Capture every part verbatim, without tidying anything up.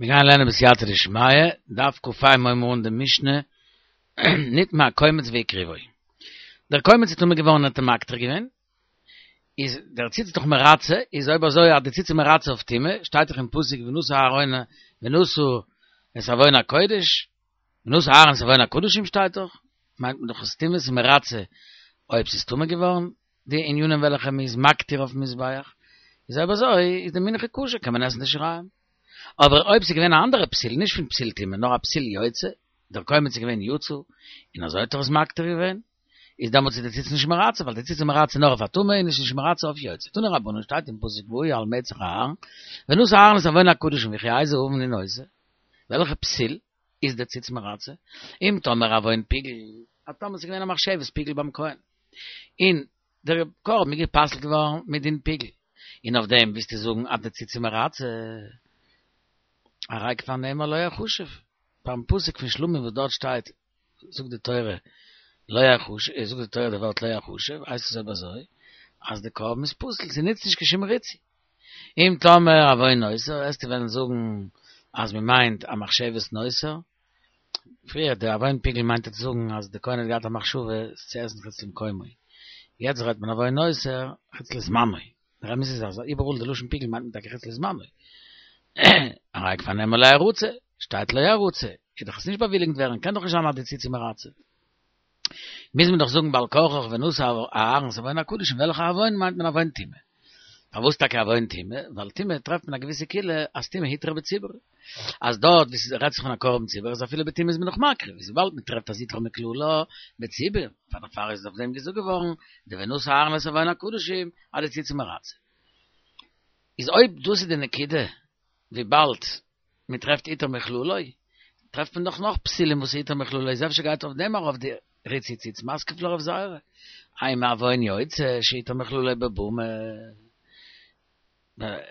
מיר גייען לערנען בסייעתא דשמיא, דף ק"ה הייבן מיר אן די משנה, נטמא הקומץ והקריבו. דער קומץ איז טמא געווארן און האט אים מקטיר געווען, איז דער ציץ איז דאך מרצה, איז אויב אזוי אז די ציץ איז מרצה אויף טומאה, שטייט דאך אין פסוק ונשא אהרן ונשא את עוון הקודש, ונשא אהרן את עוון הקדשים שטייט דאך, מיינט מען דאך אז טומאה איז מרצה אויב ס'איז טמא געווארן, די ענינים וועלכע מ'איז מקטיר אויפן מזבח, איז אויב אזוי איז די מנחה כשר קען מען עסן די שיריים. אבער אויב ס'איז געווען א אנדערע פסיל, נישט פון פסיל טומאה, נאר א פסיל יוצא, דער קומץ איז געווען יצא, און אזוי האט ער עס מקטיר געווען, איז דעמאלטס איז די ציץ נישט מרצה, ווייל די ציץ איז מרצה נאר אויף א טומאה און איז נישט מרצה אויף יוצא. תנו רבנן שטייט אין פסוק והיה על מצח אהרן, ונשא אהרן את עוון הקדשים וכי איזה עוון הוא נושא? וועלכע פסיל איז די ציץ מרצה? אם תאמר עוון פיגול, אז טאמער ס'איז געווען א מחשבת פיגול ביים כהן, און דער קרבן איז גע'פסל'ט געווארן מדין פיגול, און אויף דעם ווילסטו זאגן אז די ציץ איז מרצה? הרי כבר נאמר לא יחשב, ביים פסוק פון שלמים וואס דארט שטייט זאגט די תורה לא יחשב, זאגט די תורה די ווארט לא יחשב, הייסט עס אויב אזוי אז די קרבן איז פסול, ס'נוצט נישט קיין שום ריצוי. אם תאמר עוון נותר, וועסטו וועלן זאגן אז מ'מיינט א מחשבת נותר, פריער די עוון פיגול מיינט ער צו זאגן אז די כהן האט געהאט א מחשבה עס צו עסן חוץ למקומו, יעצט רעדט מען עוון נותר חוץ לזמנו, דער אמת איז אז איבעראל די לשון פיגול מיינט מען טאקע חוץ לזמנו, הרי כבר נאמר לא ירצה, שטייט לא ירצה, איז דאך עס נישט באוויליגנט ווערן, קען דאך נישט זיין אז די ציץ איז מרצה. מוז מען דאך זאגן בעל כרחך ונשא אהרן את עוון הקדשים, וועלכע עוון מיינט מען עוון טומאה? פארוואס טאקע עוון טומאה? ווייל טומאה טרעפט מען א געוויסע קולא אז טומאה הותרה בציבור. אז דארט וואו ס'רעדט זיך פון א קרבן ציבור איז אפילו בטומאה איז מען נאך מקריב, איז וויבאלד מען טרעפט אז הותרה מכללה בציבור, פאר דערפאר איז אויף דעם געזאגט געווארן די ונשא אהרן את עוון הקדשים אז די ציץ איז מרצה. איז אויב דאס איז די נקודה, וויבאלד מען טרעפט הותר מכללו, טרעפט מען דאך נאך פסילים וואס הותר מכללו, איז אפשר גייט אויף דעם ארויף די ריצוי ציץ מתקיף לה רב זירא, אימא עוון יוצא שהותר מכללו בבמה,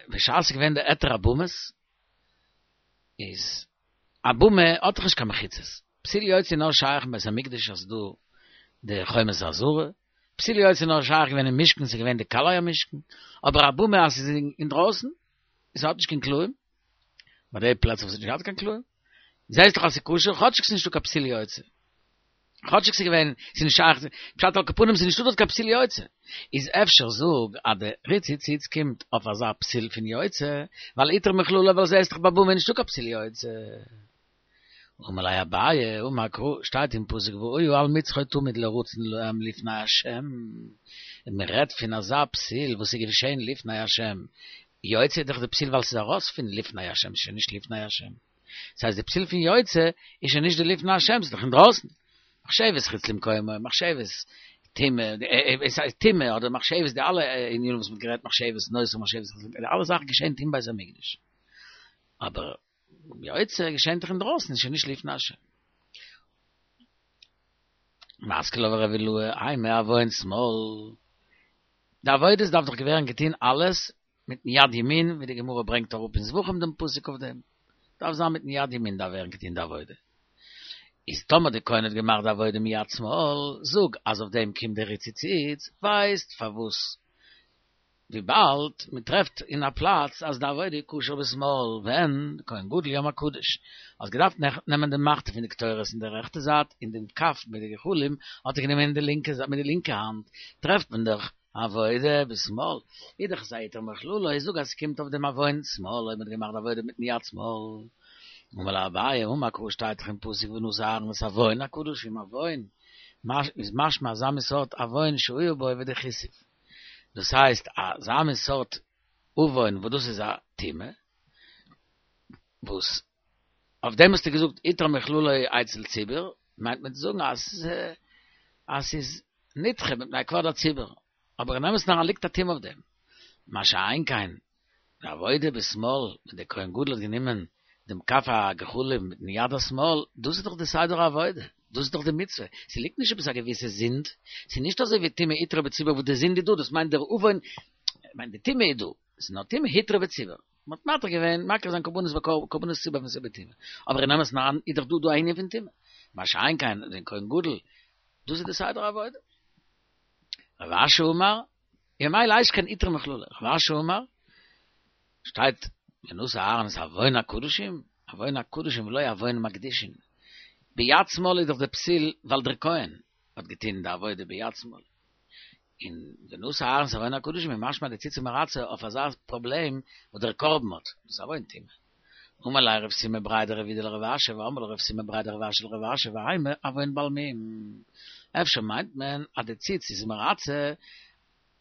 בשעת ס'איז געווען די היתר הבמות, איז א במה האט דאך נישט קיין מחיצות, פסיל יוצא איז נאר שייך אין בית המקדש אז ס'איז דא די חומת העזרה, פסיל יוצא איז נאר שייך געווען אין משכן ס'איז געווען די קלעי המשכן, אבער א במה אז ס'איז אינדרויסן, עס האט נישט קיין קלעים, ביי די פלעצער וואס האט נישט געהאט קיין קלעים, זעהסט דאך אז ס'איז כשר, כאטשיג ס'איז נישטא קיין פסיל יוצא. כאטשיג ס'איז געווען, ס'איז נישט שייך, פשט על כל פנים ס'איז נישטא דארט קיין פסיל יוצא. איז אפשר זאג אז די ריצוי ציץ קומט אויף אזא פסיל פון יוצא, ווייל הותר מכללו ווייל זעהסט דאך ביי במה איז נישטא קיין פסיל יוצא. אמר ליה אביי, אמר קרא, שטייט אין פסוק והיה על מצחו תמיד לרצון להם לפני השם, און מען רעדט פון אזא פסיל וואס איז געשען לפני השם, יוצא איז דאך די פסיל ווייל ס'איז ארויס פון לפני השם, ס'איז שוין נישט לפני השם. ס'הייסט די פסיל פון יוצא איז שוין נישט די לפני השם, ס'איז דאך אינדרויסן. מחשבת חוץ למקומו, מחשבת טומאה, טומאה אדער מחשבת די אלע ענינים וואס מ'האט גערעדט מחשבת נותר מחשבת חוץ למקומו, די אלע זאכן געשענט אין בית המקדש. אבער יוצא געשענט דאך אינדרויסן, איז שוין נישט לפני השם. מתקיף לה רב אילעא, אימא עוון שמאל. די עבודות דארף דאך געווערן געטוהן אלעס מיטן יד ימין, ווי די גמרא ברענגט אראפ אין זבחים דעם פסוק אויף דעם, דארף זיין מיטן יד ימין דארף ווערן געטוהן די עבודה. איז טאמער די כהן האט געמאכט די עבודה מיד שמאל, זאג אז אויף דעם קומט די ריצוי ציץ, ווייסט פארוואס וויבאלד מען טרעפט אין א פלאץ אז די עבודה איז כשר בשמאל, ווען די כהן גדול יום הקדוש האט געדארפט נעמען די מחתה פון די קטורת אין די רעכטע זייט און דעם כף מיט די גחלים האט ער גענומען אין די לינקע זייט מיט די לינקע האנט, טרעפט מען דאך עבודה בשמאל, איז דאך עס א הותר מכללו, איך זאג אז ס'קומט אויף דעם עוון שמאל אויב מ'האט געמאכט די עבודה מיטן יד שמאל. אמר ליה אביי, אמר קרא שטייט דאך אין פסוק ונשא אהרן את עוון הקדשים עוון, איז משמע אזא מין סארט עוון שהיה בו ודכיתיב. דאס הייסט אזא מין סארט עוון וואס דאס איז א טומאה, וואס אויף דעם האסטו געזאגט הותר מכללו אצל ציבור, מיינט מען צו זאגן אז אז ס'איז נדחה מפני כבוד הציבור, אבער אין אמת'ן אריין ליגט א טומאה אויף דעם, מה שאין כן די עבודה בשמאל, ווען דער כהן גדול האט גענומען דעם כף הגחלים מיטן יד השמאל, דאס איז דאך די סדר העבודה, דאס איז דאך די מצוה, ס'ליגט נישט עפעס א געוויסע זינד, ס'איז נישט אזוי ווי טומאה הותרה בציבור וואס די זינד איז דא, דאס מיינט דער עוון, מיינט די טומאה איז דא, ס'איז נאר טומאה הותרה בציבור, מ'האט מתיר געווען מקריב זיין קרבנות קרבנות ציבור ווען ס'איז בטומאה, אבער אין אמת'ן אריין איז דאך דא דא א ענין פון טומאה, מה שאין כן דער כהן גדול, דאס איז די סדר העבודה. רב אשי אמר, ממילא הייסט קיין הותר מכללו, רב אשי אמר, שטייט ונשא אהרן את עוון הקדשים, עוון הקדשים ולא עוון מקדישין. ביד שמאל איז דאך דער פסיל, ווייל דער כהן האט געטון די עבודה ביד שמאל. אין ונשא אהרן את עוון הקדשים איז משמע די ציץ איז מרצה אויף אזא פראבלעם וואס דער קרבן האט, דאס איז עוון טומאה. אמר ליה רב סימא בריה דרב אידי לרב אשי ואמרי לה רב סימא בריה דרב אשי לרב אשי והיימא עוון בעל מום. אפשר מיינט מען אז די ציץ איז מרצה,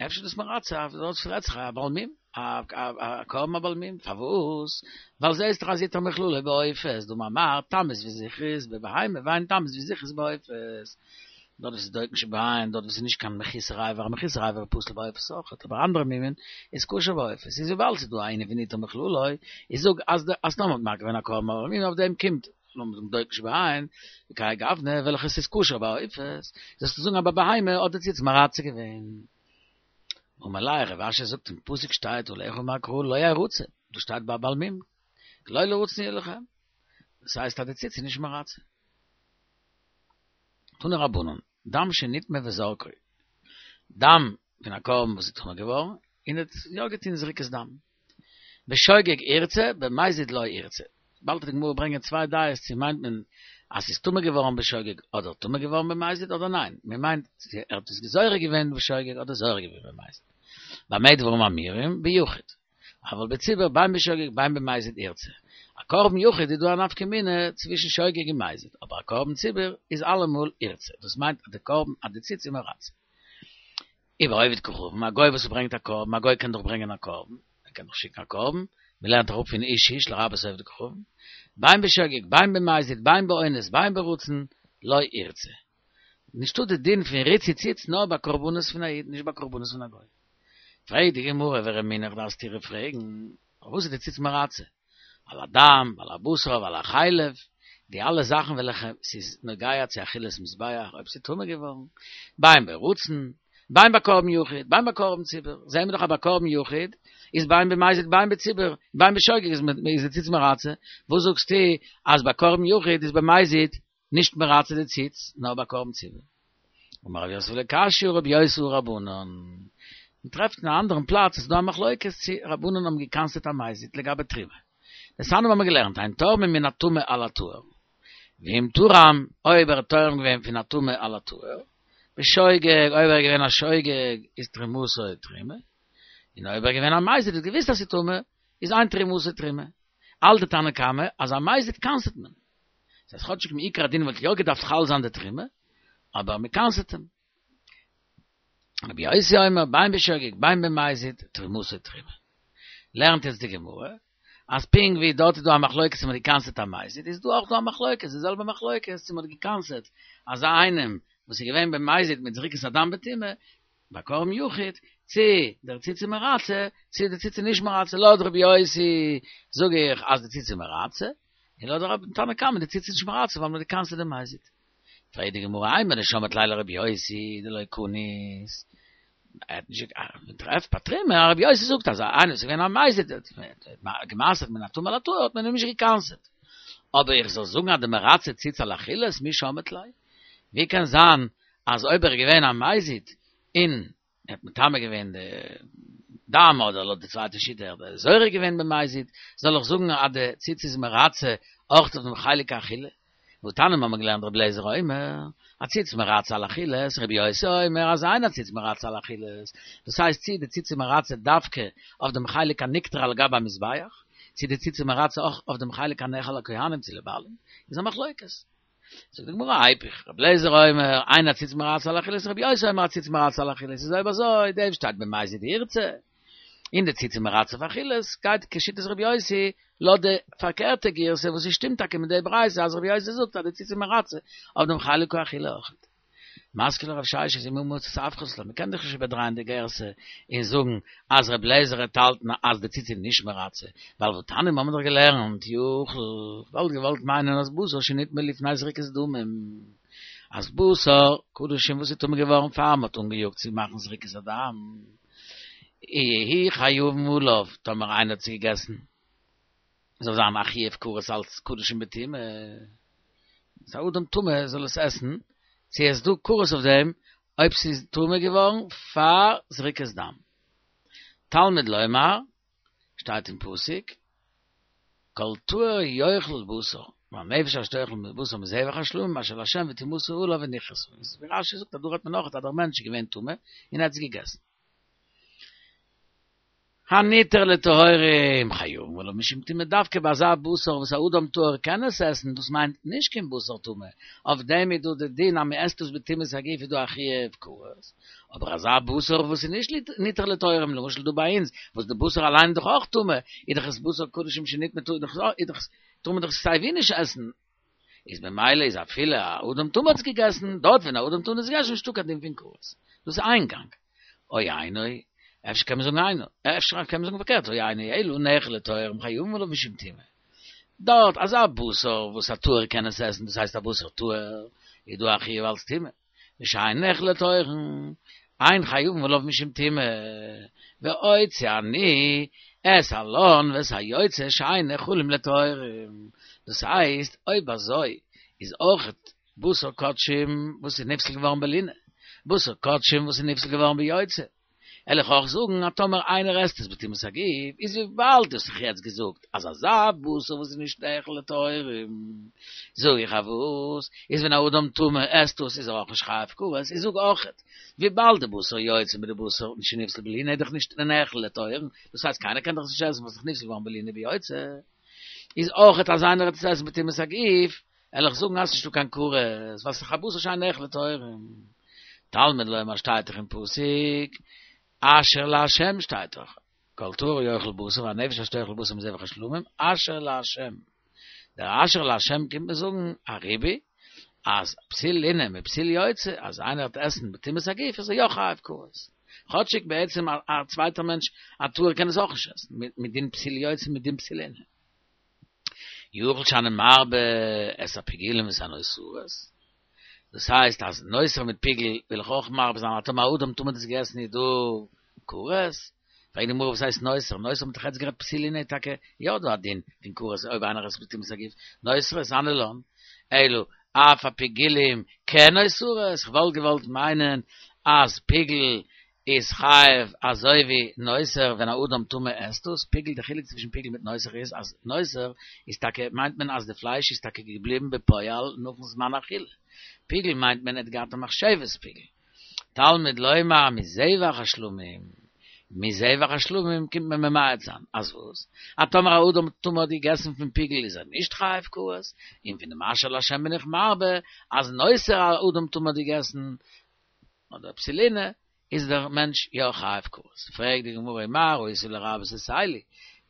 אפשר דאס מרצה אויף דאס רעדט זיך א בעל מום, א קרבן א בעל מום, פארוואס? ווייל זעהסט דאך אז איתר מכללא בעופות, דאמר מר תמות וזכרית בבהמה ואין תמות וזכרית בעופות. דארט וואס איז דוקן שבעין, דארט וואס איז נישט קיין מחוסר אבר, א מחוסר אבר פסול בעופות אויכעט, אבער אנדערע מומין איז כשר בעופות, איז וויבאלד ס'איז דא א ענין פון איתר מכללא, איז זאג אז די אז טאמער מ'האט מקריב געווען א קרבן בעל מום אויף דעם קומט לאמיר זאגן דוקן שבעין, וכהאי גוונא וועלכעס איז כשר בעופות, זאלסטו זאגן אז ביי בהמה האט די ציץ מרצה געווען. אמר ליה רב אשי זאגט אין פסוק שטייט עליך אמר קרא לא ירצה, דאס שטייט ביי בעל מום, כי לא לרצון יהיה לכם, דאס הייסט אז די ציץ איז נישט מרצה. תנו רבנן, דם שנטמא וזרקו, דם פון א קרבן וואס איז טמא געווארן, און האט יא געטון זריקת דם. בשוגג ירצה, במזיד לא ירצה. באלד וועט די גמרא ברענגען צוויי דעות צו מיינט מען אז ס'איז טמא געווארן בשוגג אדער טמא געווארן במזיד אדער ניין, מען מיינט צו ער האט עס זורק געווען בשוגג אדער זורק געווען במזיד. במה דברים אמורים? ביחיד. אבל בציבור בין בשוגג בין במזיד ירצה. א קרבן יחיד איז דא א נפקא מינה צווישן שוגג און מזיד, אבער א קרבן ציבור איז אלעמאל ירצה, דאס מיינט אז די קרבן אז די ציץ איז מרצה. ובעובד כוכבים, א גוי וואס ברענגט א קרבן, א גוי קען דאך ברענגען א קרבן, ער קען דאך שיקן א קרבן, מען לערנט אראפ פון איש איש לרבות עובד כוכבים, בין בשוגג בין במזיד בין באונס בין ברצון לא ירצה. נישטא די דין פון ריצוי ציץ נאר ביי קרבנות פון א איד, נישט ביי קרבנות פון א גוי. פרעגט די גמרא ורמינהו איך דארף סתירה פרעגן, פארוואס איז די ציץ מרצה? על הדם ועל הבשר ועל החלב, די אלע זאכן וועלכע ס'איז נוגע צו אכילת מזבח אויב ס'איז טמא געווארן, בין ברצון, בין ביי קרבן יחיד, בין ביי קרבן ציבור, זעהן מיר דאך אז ביי קרבן יחיד איז בין במזיד בין בציבור, בין בשוגג איז די ציץ מרצה, וואס זאגסטו אז ביי קרבן יחיד איז במזיד נישט מרצה די ציץ, נאר ביי קרבן ציבור? אמר רב יוסף לא קשיא הא רבי יוסי הא רבנן. מען טרעפט אין א אנדערן פלאץ איז דא א מחלוקת צו רבנן האבן געקנס'עט א מזיד לגבי תרומה. דתניא האבן מיר געלערנט אין תורמים מן הטמא על הטהור. ואם תרם, אויב ער האט תורם געווען פון א טמא על הטהור, בשוגג, אויב ער איז געווען א שוגג איז תרומתו תרומה, און אויב ער איז געווען א מזיד האט געוואוסט אז ס'איז טמא, איז אין תרומתו תרומה. האלט די תנא קמא אז א מזיד קנס'עט מען. דאס הייסט כאטשיג מעיקר הדין וואלט יא געדארפט חל זיין די תרומה, אבער מ'קנס'עט אים. רבי יוסי אומר בין בשוגג בין במזיד תרומתו תרומה. לערנט יעצט די גמרא אז פונקט ווי דארט איז דא א מחלוקת צו מ'האט געקנס'עט א מזיד איז דא אויך דא א מחלוקת, די זעלבע מחלוקת צו מ'האט געקנס'עט אזא איינעם וואס איז געווען במזיד מיט זריקת הדם בטומאה ביי קרבן יחיד, צו דער ציץ איז מרצה צו די ציץ איז נישט מרצה, לויט רבי יוסי זאג איך אז די ציץ איז מרצה, און לויט די תנא קמא די ציץ איז נישט מרצה ווייל מ'האט געקנס'עט די מזיד. פרעגט די גמרא אימר דשמעת ליה לרבי יוסי דלא קניס, ער האט נישט מען טרעפט ביי תרומה אז רבי יוסי זאגט אז איינער וואס איז געווען א מזיד האט גע'מעשר'ט מן הטמא לטהור האט מען אים נישט געקנס'עט, אבער איך זאל זאגן אז דמרצה ציץ על אכילת מי שמעת ליה? ווי קען זיין אז אויב ער איז געווען א מזיד און ער האט מטמא געווען די דם אדער לויט די צווייטע שיטה ער האט זורק געווען במזיד, זאל איך זאגן אז די ציץ איז מרצה אויך אויף דעם חלק האכילה? והתניא האבן מיר געלערנט רבי אליעזר אומר, הציץ מרצה על אכילת, רבי יוסי אומר אז אין הציץ מרצה על אכילת, דאס הייסט צי די ציץ איז מרצה דווקא אויף דעם חלק הנקטר על גבי המזבח, צי די ציץ איז מרצה אויך אויף דעם חלק הנאכל לכהנים צו לבעלים, איז א מחלוקת. זאגט די גמרא איפוך, רבי אליעזר אומר, אין הציץ מרצה על אכילת, רבי יוסי אומר הציץ מרצה על אכילת, איז אויב אזוי, דעם שטייט במזיד ירצה, און די ציץ איז מרצה אויף אכילת, גייט כשיטת רבי יוסי, לויט די פארקערטע גירסא וואס עס שטימט טאקע מיט די ברייתא אז רבי יוסי זאגט אז די ציץ איז מרצה אויף דעם חלק האכילה אויכעט. מתקיף לה רב ששת ומי מצית אפכת לה, מ'קען דאך נישט איבערדרייען די גירסא און זאגן אז רבי אליעזר וועט האלטן אז די ציץ איז נישט מרצה, ווייל והתניא מ'האמיר דאך געלערנט יכול, כ'וואלט געוואלט מיינען אז בשר שנטמא לפני זריקת דמים, אז בשר קדשים וואס איז טמא געווארן פאר מ'האט אנגעיאגט צו מאכן זריקת הדם, יהו חייבין עליו, טאמער איינער האט עס געגעסן, זאל זיין א חיוב כרת אלץ קדשים בטומאה, אז א אדם טמא זאל עס עסן, צו עס איז דא כרת אויף דעם אויב ס'איז טמא געווארן פאר זריקת דם. תלמוד לומר, שטייט אין פסוק, כל טהור יאכל בשר, והנפש אשר תאכל בשר מזבח השלמים אשר להשם וטומאתו עליו ונכרתה. איז ווי רש"י זאגט אז דא רעדט מען נאך אז דער מענטש איז געווען טמא און ער האט עס געגעסן. הניתר לטהורים חייבין עליו משום טומאה דווקא ביי אזא בשר וואס א אדם טהור קען עס עסן, דאס מיינט נישט קיין בשר טמא, אויף דעם איז דא די דין אז מען עסט עס בטומאת הגוף איז דא א חיוב כרת, אבער אזא בשר וואס איז נישט ניתר לטהורים למשל דא ביי אונז וואס די בשר אליין איז דאך אויך טמא, איז דאך עס בשר קדשים שנטמא טאר דאך טאר מען דאך סיי ווי נישט עסן, איז במילא איז אפילו א אדם טמא האט עס געגעסן, דארט ווען א אדם טמא האט עס געגעסן איז נישטא קיין דין פון כרת, דאס איז איין גאנג. או אינו, אפשר קען מען זאגן אינו, אפשר קען מען זאגן פארקערט, או אינו אלא נאכל לטהורים חייבין עליו משום טומאה. דארט אזא בשר וואס א טהור קען עס עסן, דאס הייסט א בשר טהור, איז דא א חיוב אלס טומאה. ושאין נאכל לטהורים, אין חייבין עליו משום טומאה. ואוציא אני את הלן ואת היוצא שאין נאכלים לטהורים. דאס הייסט, אויב אזוי איז אויכעט בשר קדשים וואס איז נפסל געווארן בלינה, בשר קדשים וואס איז נפסל געווארן ביוצא, וועל איך אויך זאגן אז טאמער איינער עסט עס בטומאת הגוף, איז וויבאלד דו האסט דאך יעצט געזאגט אז אזא בשר וואס איז נישט נאכל לטהורים, זאג איך אז וואס איז ווען א אדם טמא עסט עס איז ער אויך נישט חייב כרת, איך זאג אויכעט וויבאלד די בשר יוצא מיט די בשר שנפסל בלינה איז דאך נישט נאכל לטהורים, דאס הייסט קיינער קען דאך עס נישט עסן וואס איז נפסל געווארן בלינה ביוצא, איז אויכעט אז איינער וועט עס עסן בטומאת הגוף, וועל איך זאגן אז ס'נישטא קיין כרת, ווייל ס'איז דאך א בשר שאין נאכל לטהורים. תלמוד לומר שטייט דאך אין פסוק, אשר לה' שטייט דאך, כל טהור יאכל בשר והנפש אשר תאכל בשר מזבח השלמים, אשר לה'. דער אשר לה' קומט מיר זאגן א ריבוי, אז פסיל לינה מיט פסיל יוצא, אז איינער וועט עסן בטומאת הגוף איז ער יא חייב כרת. כאטשיג בעצם א צווייטער מענטש א טהור קען עס אויך נישט עסן, מדין פסיל יוצא מדין פסיל לינה. יכול שאני מרבה את הפיגולים ואת הנותרות, דאס הייסט אז נותר מיט פיגול וויל איך אויך מרבה זיין אז טאמער א אדם טמא האט עס געגעסן איז דא כרת, פרעגט די גמרא וואס הייסט נותר, נותר מ'האט דאך יעצט גערעדט פסיל לינה איז טאקע יא דא א דין פון כרת אויב איינער עסט בטומאת הגוף, נותרות אנא לן, אלא אף הפיגולים כנותרות, כ'וואלט געוואלט מיינען אז פיגול איז חייב אזוי ווי נותר ווען א אדם טמא עסט דאס, פיגול די חילוק צווישן פיגול מיט נותר איז אז נותר איז טאקע מיינט מען אז די פלייש איז טאקע געבליבן בפועל נאכן זמן אכילה, פיגול מיינט מען ער האט געהאט א מחשבת פיגול. תלמוד לומר מזבח השלמים, מזבח השלמים קומט מען ממעט זיין אז וואס? אז טאמער א אדם טמא האט געגעסן פון פיגול איז ער נישט חייב כרת, און פון דעם אשר לה' בין איך מרבה אז נותר א אדם טמא האט געגעסן אדער פסיל לינה איז דער מענטש יא חייב כרת. פרעגט די גמרא ומה ראית לרבות את אלו,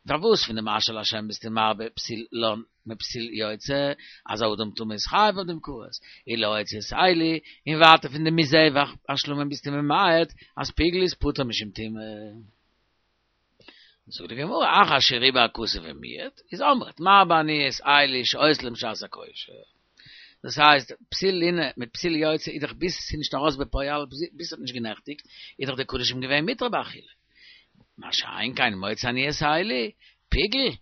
פארוואס פון דעם אשר לה' ביסטו מרבה פסיל לן מפסיל יוצא, אז א אדם טמא איז חייב אויף דעם כרת, ולהוציא את אלו, און ווייטער פון דעם מזבח השלמים ביסטו ממעט אז פיגול איז פטור משום טומאה. זאגט די גמרא, אחר שריבה הכתוב ומיעט, איז אמרת מרבה אני את אלו שהיתה להם שעת הכושר. דאס הייסט, פסיל לינה מיט פסיל יוצא איז דאך ביז ס'איז נישט ארויס בפועל, ביז ס'האט נישט גענעכטיגט, איז דאך די קדשים געווען מותר באכילה. מה שאין כן מוציא אני את אלו, פיגול,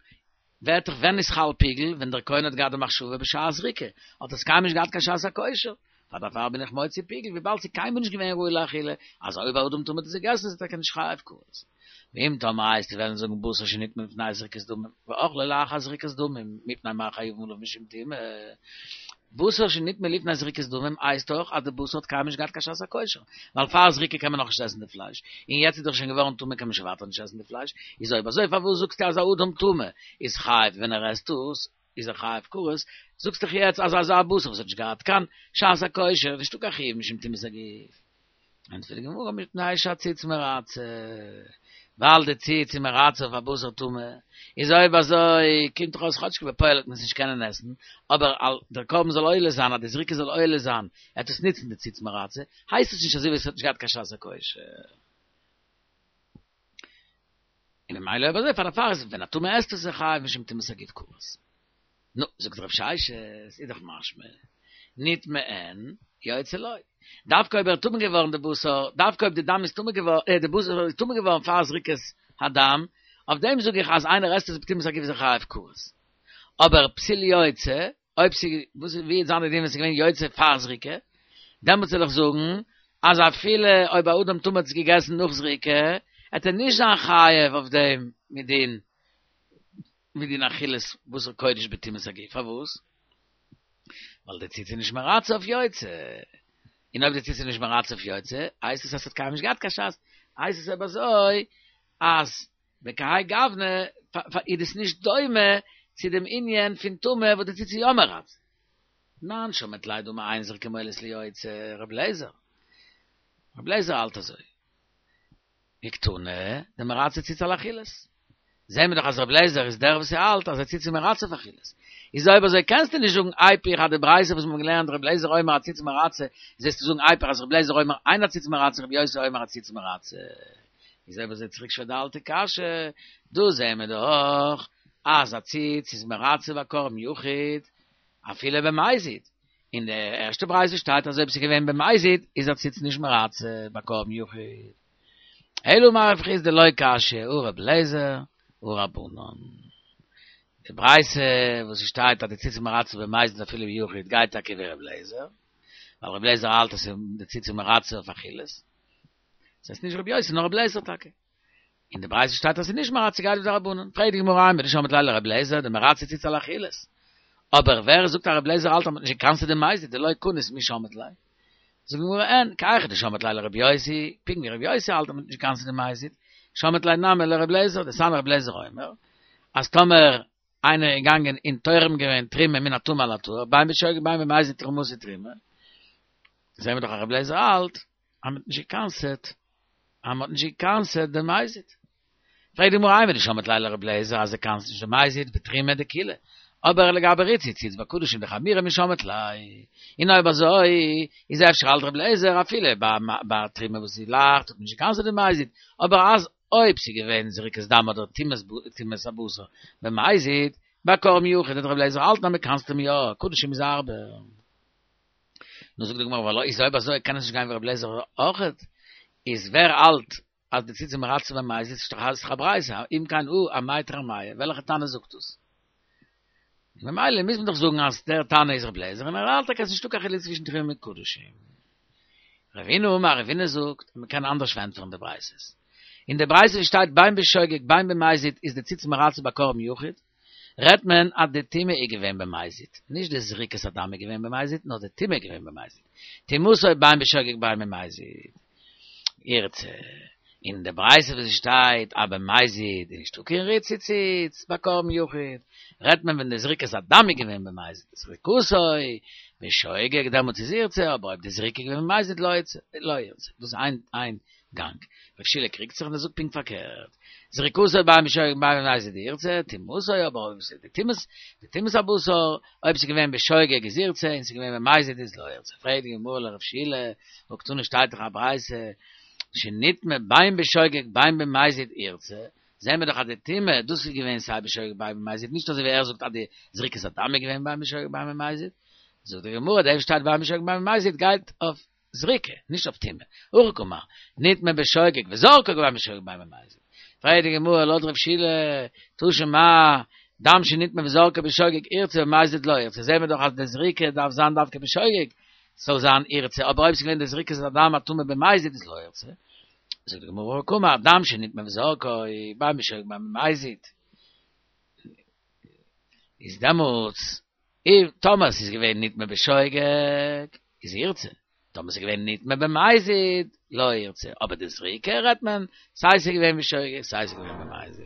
ווערט דאך ווען איז חל פיגול, ווען דער כהן האט געהאט די מחשבה בשעת זריקה, האט עס קיינמאל נישט געהאט קיין שעת הכושר, פאר דערפאר בין איך מוציא פיגול, וויבאלד ס'איז קיינמאל נישט געווען ראוי לאכילה, אז אויב א אדם טמא האט עס געגעסן איז ער טאקע נישט חייב כרת. ואם תאמר וועסטו וועלן זאגן בשר שנטמא לפני זריקת דמים, ואכלו לאחר זריקת דמים, מפני מה חייבין עליו משום טומאה. בשר שנטמא לפני זריקת דמים הייסט דאך אז די בשר האט קיינמאל נישט געהאט קיין שעת הכושר, ווייל פאר זריקה קען מען נאכנישט עסן די פלייש, און יעצט איז דאך שוין געווארן טמא קען מען שוין ווייטער נישט עסן די פלייש, איז אויב אזוי פארוואס זאגסטו אז א אדם טמא איז חייב ווען ער עסט עס איז ער חייב כרת, זאגסט דאך יעצט אז אזא בשר וואס האט נישט געהאט קיין שעת הכושר איז נישטא קיין חיוב משום טומאת הגוף. ענטפערט די גמרא מפני שהציץ מרצה, ווייל די ציץ איז מרצה אויף א בשר טמא, איז אויב אזוי קומט דאך אויס כאטשיג בפועל וועט מען עס נישט קענען עסן, אבער אז דער קרבן זאל עולה זיין, אז די זריקה זאל עולה זיין, עט עס נוצן די ציץ מרצה, הייסט עס נישט אזוי ווי עס האט נישט געהאט קיין שעת הכושר. און ממילא אויב אזוי פאר דערפאר איז ווען א טמא עסט עס איז ער חייב משום טומאת הגוף כרת. נו, זאגט רב ששת, איז דאך משמע, נטמא אין, יוצא לא. דווקא אויב ער איז טמא געווארן די בשר, דווקא אויב די דם איז טמא געווארן, די בשר איז טמא געווארן פאר זריקת הדם, אויף דעם זאג איך אז איינער עסט עס בטומאת הגוף איז ער חייב כרת. אבער פסיל יוצא, אויב ס'איז, וואס איז, ווי וועט זיין די דין ווען ס'איז געווען יוצא פאר זריקה, דעמאלטס וועל איך זאגן אז אפילו אויב א אדם טמא האט עס געגעסן נאך זריקה, עט ער נישט זיין חייב אויף דעם מדין. מדין אכילת בשר קודש בטומאת הגוף. פארוואס? ווייל די ציץ איז נישט מרצה אויף יוצא. און אויב די ציץ איז נישט מרצה אויף יוצא, הייסט עס אז ס'האט קיינמאל נישט געהאט קיין שעת. הייסט עס אויב אזוי, אז בכהאי גוונא איז דאס נישט דומה צו דעם ענין פון טומאה וואס די ציץ איז יא מרצה. תנן שמעת ליה דאמר אין זריקה מועילת ליוצא, רב לעזער. רב לעזער האלט אזוי. וקתני דמרצה ציץ על אכילת. זעהן מיר דאך אז רב לעזער איז דער וואס האלט אז א ציץ איז מרצה אויף אכילת. איז אויב אזוי קענסטו נישט זאגן איפוך אז די ברייתא וואס מיר האבן געלערנט רב לעזער אומר הציץ מרצה, זאלסטו זאגן איפוך אז רב לעזער אומר אין הציץ מרצה רבי יוסי אומר הציץ מרצה. איז אויב אזוי צוריק שווער די אלטע קשיא, דא זעהן מיר דאך אז א ציץ איז מרצה ביי קרבן יחיד אפילו במזיד. אין די ערשטע ברייתא שטייט אז אויב ס'איז געווען במזיד איז א ציץ נישט מרצה ביי קרבן יחיד. אלא אמר רב חסדא לא קשיא הא רב לעזער הא רבנן. די ברייתא וואס ס'שטייט אז די ציץ איז מרצה במזיד אפילו ביחיד גייט טאקע ווי רב לעזער, ווייל רב לעזער האלט אז די ציץ איז מרצה אויף אכילת. ס'הייסט נישט רבי יוסי נאר רב לעזער טאקע. אין די ברייתא שטייט אז ס'איז נישט מרצה גייט ווי די רבנן. פרעגט די גמרא אימר דשמעת ליה לרב לעזער דמרצה ציץ על אכילת. אבער ווער זאגט אז רב לעזער האלט אז מ'האט נישט געקנס'עט די מזיד דלא קניס מי שמעת ליה. זאגט די גמרא אין, כי היכי דשמעת ליה לרבי יוסי, פונקט ווי רבי יוסי האלט אז מ'האט נישט געקנס'עט די מזיד, שמעת ליה נמי לרב לעזער, דתניא רב לעזער אומר, אז טאמער איינער איז געגאנגען און תורם געווען תרומה מן הטמא על הטהור, בין בשוגג בין במזיד תרומתו תרומה, זעהן מיר דאך אז רב לעזער האלט אז מ'האט נישט געקנס'עט, אז מ'האט נישט געקנס'עט די מזיד. פרעגט די גמרא אימר דשמעת ליה לרב לעזער אז ער קנס'ט נישט די מזיד בתרומה דקולא, אבער לגבי ריצוי ציץ בקדשים דחמירא מי שמעת ליה, און אויב אזוי איז אפשר האלט רב לעזער אפילו ביי תרומה וואס איז לייכט האט מען נישט געקנס'עט די מזיד, אבער אז אויב ס'איז געווען זריקת דם אדער טומאת הבשר במזיד, ביי קרבן יחיד וועט רב לעזער האלטן אז מ'קנס'ט אים יא, קדשים איז הארבער. נו זאגט די גמרא ולא איז אויב אזוי קען עס נישט גיין ווי רב לעזער אויכעט, איז ווער האלט אז די ציץ איז מרצה במזיד איז דאך א ברייתא, אם כן הא אמאי תרמייהו, וועלכע תנא זאגט דאס? ממילא מוז מען דאך זאגן אז דער תנא איז רב לעזער און ער האלט טאקע אז ס'נישטא קיין חילוק צווישן תרומה מיט קדשים. רבינא אמר רבינא זאגט אז מ'קען אנדערש פארענטפערן די ברייתות. אין די ברייתא ווי שטייט בין בשוגג בין במזיד איז די ציץ מרצה ביי קרבן יחיד, רעדט מען אז די טומאה איז געווען במזיד, נישט די זריקת הדם איז געווען במזיד, נאר די טומאה איז געווען במזיד. טומאתו בין בשוגג בין במזיד. ירצה. אין די ברייתא וואס שטייט אז במזיד איז נישטא קיין ריצוי ציץ ביי קרבן יחיד, רעדט מען ווען די זריקת הדם איז געווען במזיד, זריקתו בשוגג דעמאלטס איז ירצה, אבער אויב די זריקה איז געווען במזיד לא ירצה, לא ירצה. דאס איז איין איין גאנג. רב שילא קריגט זיך און ער זאגט פונקט פארקערט, זריקתו בין בשוגג בין במזיד ירצה, טומאתו אבער אויב ס'איז די טומאת, די טומאת הבשר, אויב ס'איז געווען בשוגג איז ירצה און ס'איז געווען במזיד איז לא ירצה. פרעגט די גמרא לרב שילא, והא קתני שטייט דאך א ברייתא, שנטמא בין בשוגג בין במזיד ירצה, זעהן מיר דאך אז די טומאה, דאס איז געווען סיי בשוגג בין במזיד, נישט אזוי ווי ער זאגט אז די זריקת הדם איז געווען בין בשוגג בין במזיד, זאגט די גמרא, דאס שטייט בין בשוגג בין במזיד גייט אויף זריקה, נישט אויף טומאה. הכי קאמר, נטמא בשוגג וזרקו בין בשוגג בין במזיד. פרעגט די גמרא לויט רב שילא, תא שמע, דם שנטמא וזרקו בשוגג ירצה במזיד לא ירצה, זעהן מיר דאך אז די זריקה דארף זיין דווקא בשוגג, ס'זאל זיין ירצה, אבער אויב ס'איז געווען די זריקת הדם הטמא במזיד איז לא ירצה. זאגט די גמרא הכי קאמר, דם שנטמא וזרקו בין בשוגג בין במזיד. איז דעמאלטס אויב טאמער ס'איז געווען נטמא בשוגג איז ירצה, טאמער ס'איז געווען נטמא במזיד לא ירצה, אבער די זריקה רעדט מען סיי ס'איז געווען בשוגג סיי ס'איז געווען במזיד.